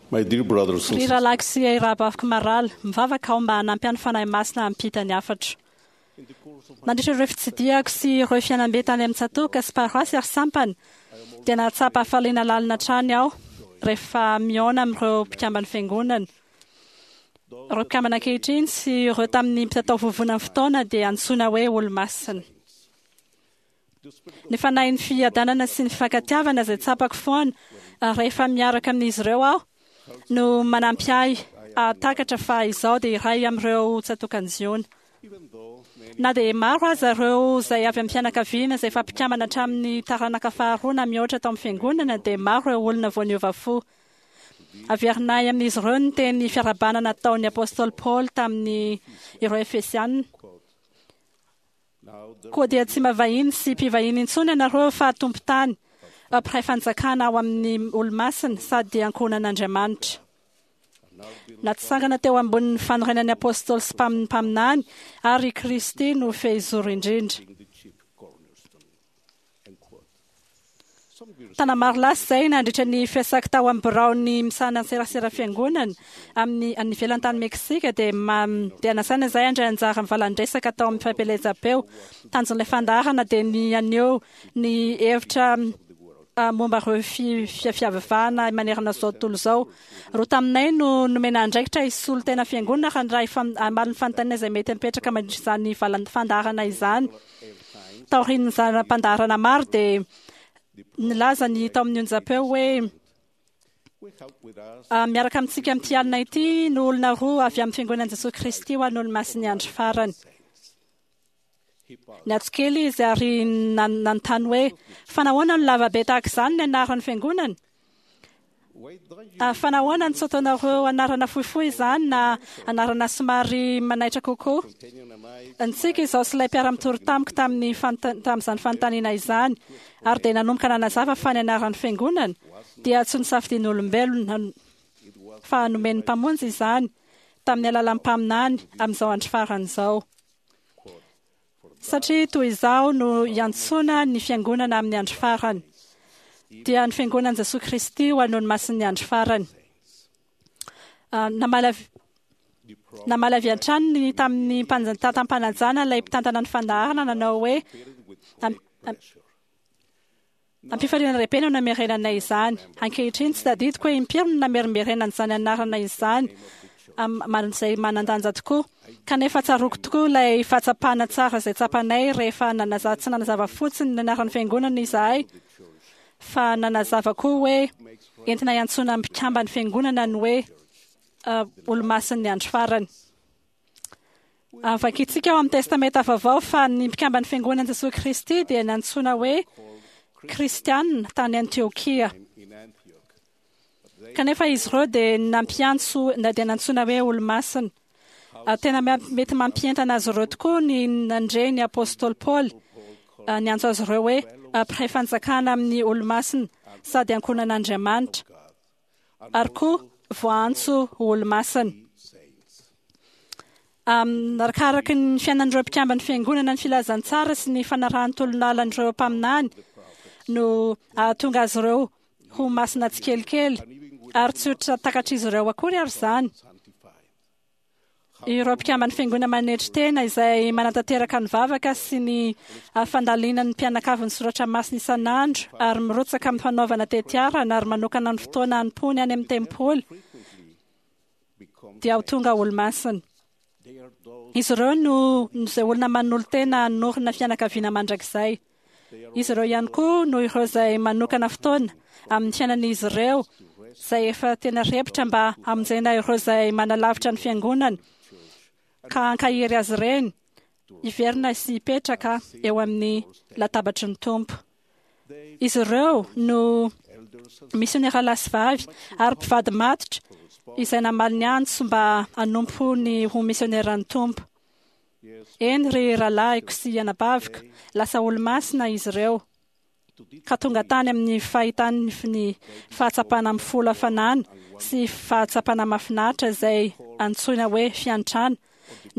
My dear brothers and Ry sisters, rahalahiko sy rahavaviko marala, mivavaka aho mba hanampy ahy ny Fanahy Masina hampita ny hafatro. Nandritra ireo fitsidihako sy ireo fiainam-be tany amin'ny tsatòka sy paroasy ary sampana, dia nahatsapa hafaliana lalina hatrany aho rehefa mihaona amin'ireo mpikamban'ny Fiangonana. Ireo mpikambana ankehitriny sy ireo tamin'ny mpitatao vovonan'ny fotoana dia antsoina hoe Olomasina. Ny fanahin'ny fiadanana sy ny fifankatiavana izay tsapako foana rehefa miaraka amin'izy ireo aho no manampy ahy hahatakatra fa izaho dia iray amin'ireo tsatokan'i Ziona. Na dia maro aza ireo izay avy amin'ny fianakaviana izay efa mpikambana hatramin'ny taranaka faharoa na mihoatra tao amin'ny Fiangonana dia maro ireo olona vao niova fo. Averinay amin'izy ireo ny teny fiarahabana nataon'ny Apostoly Paoly tamin'ny ireo Efesiana. Koa dia tsy mba vahiny sy mpivahiny intsony ianareo fa tompon-tany, mpiray fanjakana ao amin'ny olo-masina sady ankohonan'Andriamanitra. Natsangana teo ambonin'ny fanorenan'ny Apostoly sy mpaminany ary i Kristy no fehizoro indrindra. Taona maro lasa izay, nandritra ny fiasako tao amin'ny biraon'ny misahana ny serasera fiangonana amin'ny any ivelany tany Meksika dia dia nasaina izahay handray anjara amin'ny valan-dresaka tao amin'ny fampielezam-peo. Tanjon'ilay fandaharana dia ny haneho ny hevitra momba ireo fiavivahana manerana izao tontolo izao. Roa taminay no nomena andraikitra hisolo tena fiangonana raha ny hamaly ny fanontaniana izay mety mipetraka mandritra izany valan-fandaharana izany. Taorian'ny zana-pandaharana maro dia nilaza ny tao amin'ny onjam-peo hoe miaraka amintsika amin'ity alina ity no olona roa avy amin'ny Fiangonan'i Jesoa Kristy ho an'ny Olomasin'ny Andro Farany. Niantso kely izy ary nanontany hoe, Fa nahoana no lava be tahaka izany ny anaran'ny Fiangonana? Fa nahoana no tsy ataonareo anarana fohifohy izany na anarana somary manaitra kokoa? Nitsiky izaho sy ilay mpiara-mitory tamiko tamin'ny tamin'izany fanontaniana izany, ary dia nanomboka nanazava fa ny anaran'ny Fiangonana dia tsy nosafidian'olombelona, fa nomen'ny Mpamonjy izany tamin'ny alalan'ny mpaminany amin'izao andro farany izao. Satria toy izaho no iantsoana ny Fiangonana amin'ny andro farany, dia ny Fiangonan'i Jesoa Kristy ho an'ny Olomasin'ny andro farany. Namaly avy namaly avy hatrany ny tamin'ny mpanjantantam-panajana ilay mpitantana ny fandaharana nanao hoe, Am-pifaliana lehibe no namerenanay izany. Ankehitriny, tsy tadidiko hoe impiry no namerimberenana izany anarana izany, izay manan-danja tokoa. Kanefa tsaroako tokoa ilay fahatsapana tsara izay tsapanay rehefa nanazava, tsy nanazava fotsiny ny anaran'ny Fiangonana izahay, fa nanazava koa hoe entina hiantsoana mpikamban'ny Fiangonana ny hoe Olomasin'ny Andro Farany. Vakintsika ao amin'ny Testamenta Vaovao fa ny mpikamban'ny Fiangonan'i Jesoa Kristy dia nantsoina hoe Kristiana tany Antiokia. Kanefa izy ireo dia nampiantso na dia nantsoina hoe olomasina. Tena mety mampientana azy ireo tokoa ny nandre ny Apostoly Paoly niantso azy ireo hoe mpiray fanjakana amin'ny olomasina sady ankohonan'Andriamanitra. ary koa voaantso ho olomasina. Arakaraky ny fiainan'ireo mpikamban'ny Fiangonana ny filazantsara sy ny fanarahan'ny tolon'alan'ireo mpaminany no hahatonga azy ireo ho masina tsikelikely, ary tsy ho takatr'izy ireo akory ary izany. Ireo mpikamban'ny Fiangonana manetry tena izay manatanteraka ny vavaka sy ny fandalinan'ny mpianakavy ny soratra masina isan'andro ary mirotsaka amin'ny fanaovana tetiarana ary manokana ny fotoana hanompoany any amin'ny tempoly dia ho tonga olomasina. Izy ireo no izay olona manolo-tena hanorina fianakaviana mandrakizay. Izy ireo ihany koa no ireo izay manokana fotoana amin'ny fiainan'izy ireo izay efa tena repotra mba hamonjena ireo izay manalavitra ny fiangonana ka hankahery azy ireny hiverina sy hipetraka eo amin'ny latabatry ny Tompo. Izy ireo no misionera lahy sy vavy ary mpivady matotra izay namaly ny antso mba hanompo ny ho misioneran'ny Tompo. Eny, ry rahalahiko sy anabaviko, lasa olo-masina izy ireo, ka tonga tany amin'ny fahitany ny fahatsapana mifolo hafanana sy fahatsapana mahafinaritra izay antsoina hoe fiantrana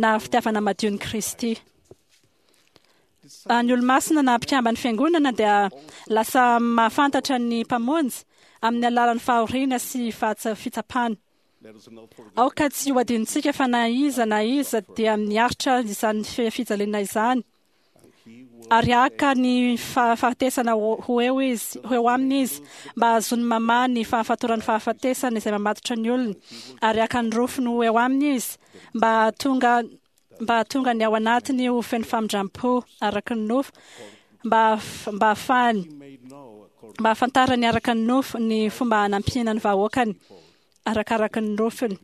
na fitiavana madion'i Kristy. Ny olo-masina na mpikamban'ny Fiangonana dia lasa mahafantatra ny Mpamonjy. amin'ny alalan'ny fahoriana sy fitsapana. Aoka tsy ho adinontsika fa na iza na iza dia miaritra izany fijaliana izany ary haka ny fahafatesana ho eo izy, ho eo aminy izy, mba hahazoany mamaha ny fahafatoran'ny fahafatesana izay mamatotra ny olony, ary haka ny rofiny ho eo aminy izy, mba hahatonga mba hahatonga ny ao anatiny ho feno famindram-po araka ny nofo, mba mba hahafahany mba hahafantarany araka ny nofo ny fomba hanampiana ny vahoakany arakaraka ny nofiny.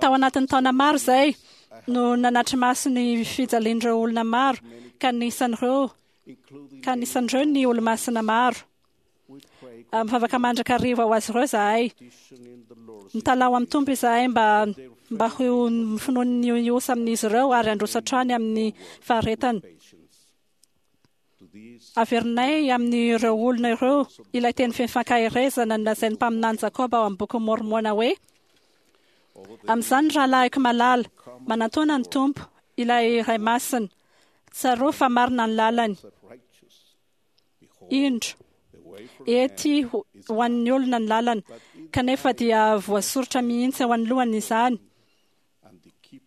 Tao anatin'ny taona maro izay no nanatri-maso ny fijalian'ireo olona maro, ka anisan'ireo ka anisan'ireo ny olomasina maro. Mivavaka mandrakariva ho azy ireo izahay. Mitalaho amin'ny Tompo izahay mba mba ho finoan'ny osa amin'izy ireo ary handroso hatrany amin'ny faharetana. Averinay amin'ireo olona ireo ilay teny feno fankaherezana nolazain'ny mpaminany Jakoba ao amin'ny Bokin'i Môrmôna hoe, Amin'izany, ry rahalahiko malala, manantòna ny Tompo, ilay Ray Masina. Tsarovy fa marina ny lalany. Indro, ety ho an'ny olona ny lalana, kanefa dia voasoritra mihitsy eo anoloany izany.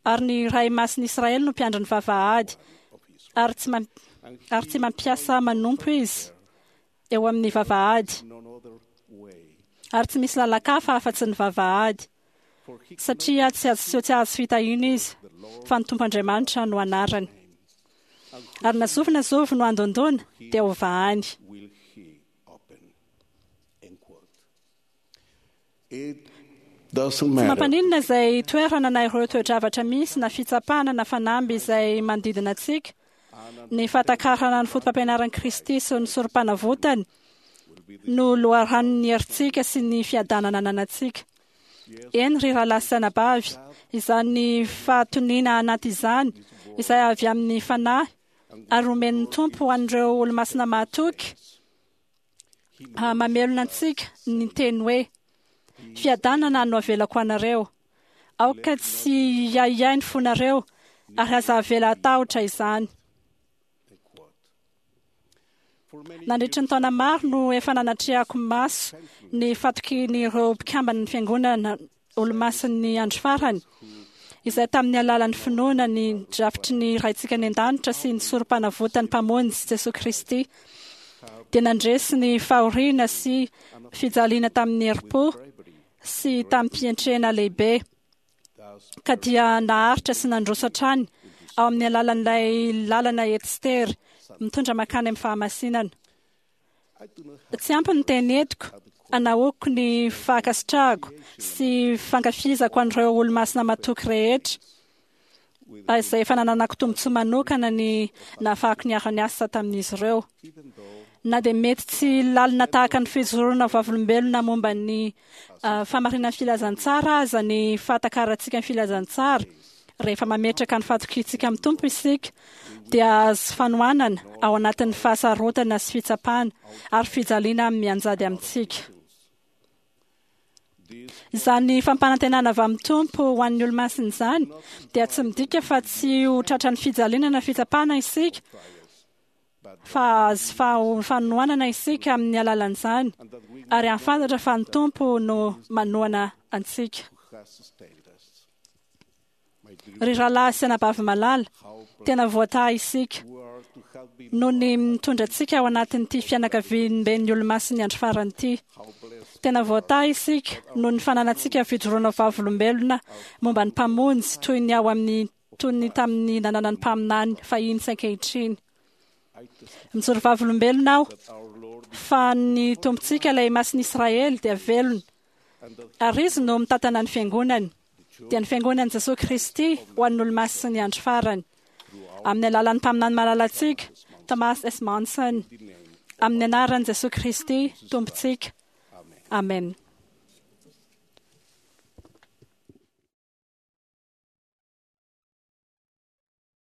Ary ny Ray Masin'i Israely no mpiandry ny vavahady, ary tsy ary tsy mampiasa manompo izy eo amin'ny vavahady, ary tsy misy lalan-kafa afa-tsy ny vavahady, satria tsy azo tsy azo fitahiana izy, fa ny Tompo Andriamanitra no anarany. Ary na zovy na zovy no handondona, dia hovahany. Tsy mampaninona izay toerana na ireo toe-javatra misy na fitsapana na fanamby izay manodidina antsika, ny fahatakarana ny fotopampianaran'i Kristy sy ny Sorompanavotany no loharanon'ny herintsika sy ny fiadanana ananantsika. Eny, ry rahalahy sy anabavy, izany fahatoniana anaty izany, izay avy amin'ny Fanahy ary omen'ny Tompo ho an'ireo olomasina mahatoky, mamelona antsika ny teny hoe, Fiadanana no avelako anareo. Aoka tsy hiahiahy ny fonareo, ary aza avela hatahotra izany. Nandritry ny taona maro no efa nanatrehako maso ny fatokian'ireo mpikamban'ny Fiangonana Olomasin'ny Andro Farany, izay tamin'ny alalan'ny finoana ny drafitry ny Raintsika any An-danitra sy ny Sorompanavotan'ny Mpamonjy Jesoa Kristy, dia nandresy ny fahoriana sy fijaliana tamin'ny herim-po sy tamim-pientrena lehibe, ka dia naharitra sy nandroso hatrany ao amin'ny alalan'ilay lalana ety sy tery mitondra mankany amin'ny fahamasinana. Tsy ampy ny teny entiko hanahoako ny fankasitrahako sy fankafizako an'ireo olomasina matoky rehetra izay efa nananako tombontsoa manokana ny nahafahako niara-niasa tamin'izy ireo. Na dia mety tsy lalina tahaka ny fijoroana vavolombelona momba ny fahamarinan'ny filazantsara aza ny fahatakarantsika ny filazantsara, rehefa mametraka ny fatokiantsika amin'ny Tompo isika, dia hahazo fanohanana ao anatin'ny fahasarotana sy fitsapana ary fijaliana mianjady amintsika. Izany fampanantenana avy amin'ny Tompo ho an'ny olomasina izany dia tsy midika fa tsy ho tratran'ny fijaliana na fitsapana isika, fa hahazo fanohanana isika amin'ny alalan'izany ary hahafantatra fa ny Tompo no manohana antsika. Ry rahalahy sy anabavy malala, tena voatahy isika noho ny mitondra antsika ao anatin'ity fianakaviamben'ny Olomasin'ny Andro Farany ity. Tena voatahy isika noho ny fananantsika fijoroana vavolombelona momba ny Mpamonjy toy ny ao amin'ny toy ny tamin'ny nananan'ny mpaminany fahiny sy ankehitriny. Mijoro vavolombelona aho fa ny Tompontsika, ilay Masin'i Israely, dia velona, ary Izy no mitantana ny Fiangonany, dia ny Fiangonan'i Jesoa Kristy ho an'ny Olomasin'ny Andro Farany, amin'ny alalan'ny mpaminany malalantsika, Thomas S. Monson, amin'ny anaran'i Jesoa Kristy, Tompontsika. Amena.